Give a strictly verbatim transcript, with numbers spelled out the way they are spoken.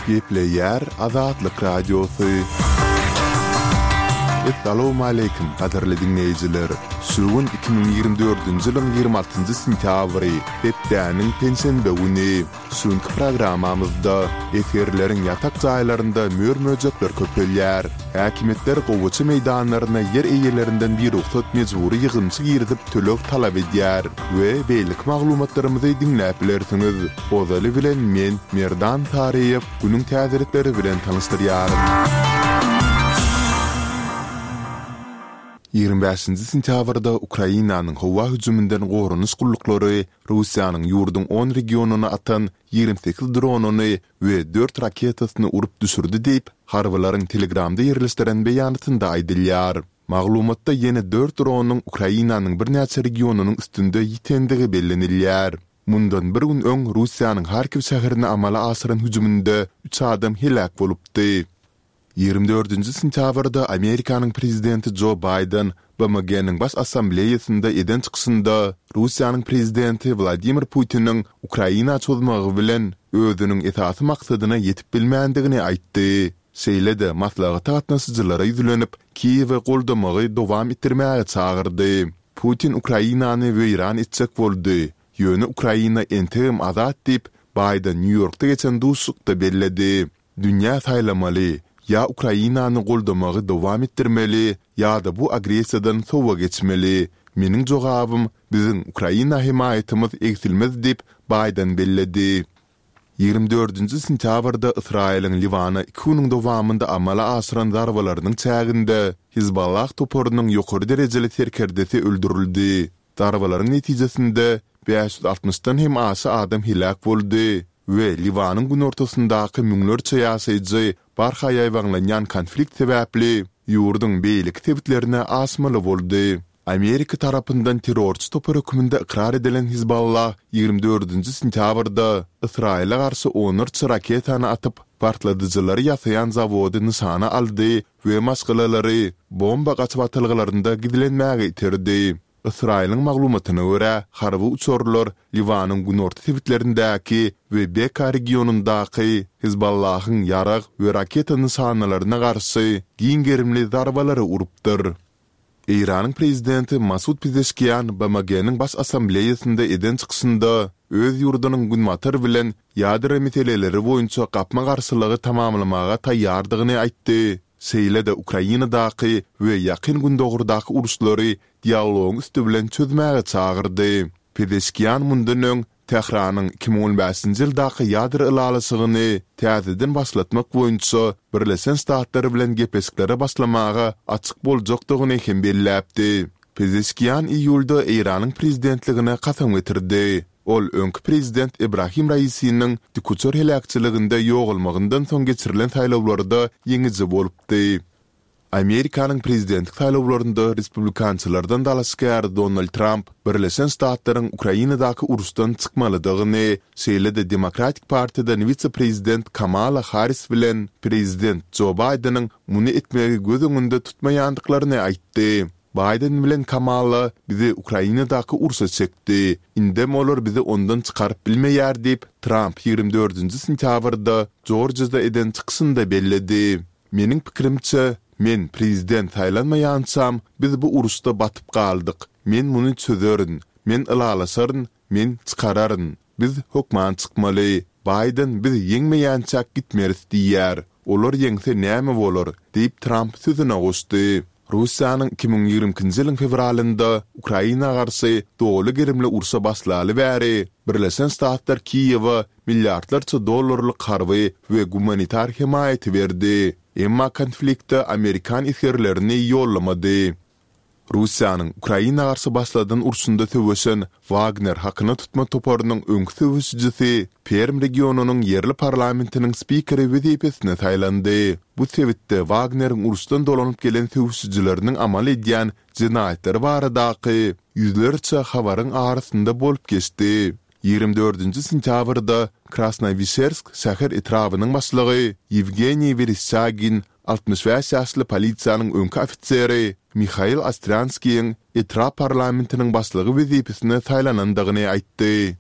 Gepleýär Azatlyk Radiosy. Essalawmaleýkim, gadyrly diňleýjiler! Şu gün iki müň ýigrimi dördünji ýylyň ýigrimi altynjy sentýabry, hepdäniň penşenbe güni. Şu günki programmamyzda esgerleriň ýatak jaýlarynda mör-möjekler köpelýär. Häkimiýetler gowaça meýdanlaryna ýer eýelerinden birugsat mejbury ýygymçy girizip töleg talap edýär we beýleki maglumatlarymyzy diňläp bilersiňiz. Ozaly bilen men, Merdan Saryýew, günüň täzelikleri bilen tanyşdyrýaryn. Ýigrimi bäşinji sentýabrda Ukrainanyň howa hüjüminden goranyş gulluklary Russiýanyň ýurduň on regionyna atan ýigrimi sekiz dronyny we dört raketasyny urup düşürdi diýip, harbylaryň Telegramda ýerleşdiren beýanatynda aýdylýar. Maglumatda ýene dört dronyň Ukrainanyň birnäçe regionynyň üstünde ýitendigi bellenilýär. Mundan bir gün öň Russiýanyň Harkiw şäherine amala aşyran hüjüminde üç adam heläk bolupdy. Ýigrimi dördünji sentýabrda Amerikanyň prezidenti Jo Baýden B M G-niň Baş Assambleýasynda eden çykyşynda Russiýanyň prezidenti Wladimir Putiniň Ukraina çozmagy bilen özüniň esasy maksadyna ýetip bilmändigini aýtdy. Şeýle-de maslahata gatnaşyjylara ýüzlenip, Kiýewi goldamagy dowam etdirmäge çagyrdy. Putin Ukrainany weýran etjek boldy, ýöne Ukraina entegem azat diýip, Baýden Nýu-Ýorkda geçen duşuşykda belledi. Dünýä saýlamaly, ýa Ukrainany goldamagy dowam etdirmeli, ýa-da bu agressiýadan sowa geçmeli. Meniň jogabym, biziň Ukraina hemaýatymyz egsilmez diýip, Baýden belledi. Ýigrimi dördünji sentýabrda Ysraýylyň Liwana iki günüň dowamynda amala aşyran zarbalarynyň çäginde Hizballah toparynyň ýokary derejeli serkerdesi öldürildi. Zarbalaryň netijesinde bäş ýüz altmyşdan hem aşa adam heläk boldy we Liwanyň günortasyndaky müňlerçe ýaşaýjy barha ýaýbaňlanýan konflikt sebäpli ýurduň beýleki sebitlerine aşmaly boldy. Amerika tarapyndan terrorçy topar hökmünde ykrar edilen Hizballah ýigrimi dördünji sentýabrda Ysraýyla garşy onlarça raketany atyp, partladyjylary ýasaýan zawody nyşana aldy we maşgalalary bomba gaçybatalgalarynda gizlenmäge iterdi. Ysraýylyň maglumatyna görä, harby uçarlar Liwanyň günorta sebitlerindäki we Beka regionyndaky Hizballahyň ýarag we raketa nyşanalaryna garşy giň gerimli zarbalary urupdyr. Eýranyň prezidenti Masud Pezeşkian B M G-niň Baş Assambleýasynda eden çykyşynda öz ýurdunyň Günbatar bilen ýadro meseleleri boýunça gapma-garşylygy tamamlamaga taýýardygyny aýtdy, şeýle-de Ukrainadaky we Ýakyn Gündogardaky uruşlary dialogyň üsti bilen çözmäge çagyrdy. Pezeşkian mundan öň Tähranyň iki müň on bäşinji ýyldaky ýadro ylalaşygyny täzeden başlatmak boýunça Birleşen Ştatlar bilen gepleşiklere başlamaga açyk boljakdygyny hem belläpdi. Pezeşkian iýulda Eýranyň prezidentligine kasam getirdi. Ol öňki prezident Ebrahim Raisiniň dikuçar heläkçiliginde ýogalmagyndan soň geçirilen saýlawlarda ýeňiji bolupdy. Amerikanyň prezidentlik saýlawlarynda respublikançylardan dalaşgär Donald Tramp Birleşen Ştatlaryň Ukrainadaky uruşdan çykmalydygyny, şeýle-de Demokratik partiýadan wise-prezident Kamala Harris bilen prezident Jo Baýdeniň muny etmegi göz öňünde tutmaýandyklaryny aýtdy. Baýden bilen Kamala bizi Ukrainadaky urşa çekdi. Indem olar bizi ondan çykaryp bilmeýär diýip, Tramp ýigrimi dördünji sentýabrda Jorjiýada eden çykyşynda belledi. Meniň pikirimçe, men prezident saýlanmaýançam, biz bu uruşda batyp galdyk. Men muny çözerin. Men ylalaşaryn, men çykararyn. Biz hökman çykmaly. Baýden biz ýeňmeýänçäk gitmeris diýýär. Olar ýeňse näme bolar? diýip, Tramp sözüne goşdy. Russiýanyň iki müň ýigrimi ikinji ýylyň fewralynda Ukraina garşy doly gerimli urşa başlaly bäri Birleşen Ştatlar Kiýewe milliardlarça dollarlyk harby we gumanitar hemaýaty berdi, emma konflikte amerikan esgerlerini ýollamady. Russiýanyň Ukraina garşy başladan urşunda söweşen Wagner hakyna tutma toparynyň öňki söweşijisi Perm regionynyň ýerli parlamentiniň spikeri wezipesine saýlandy. Bu sebitde Wagneriň uruşdan dolanyp gelen söweşijileriniň amal edýän jenaýatlary baradaky ýüzlerçe habaryň arasynda bolup geçdi. Ýigrimi dördünji sentýabrda Krasnowişersk şäher etrabynyň başlygy Ýewgeniý Wereşçagin altmyş bäş ýaşly polisiýanyň öňki ofiseri Mihail Ostrýanskiýiň etrap parlamentiniň başlygy wezipesine saýlanandygyny aýtdy.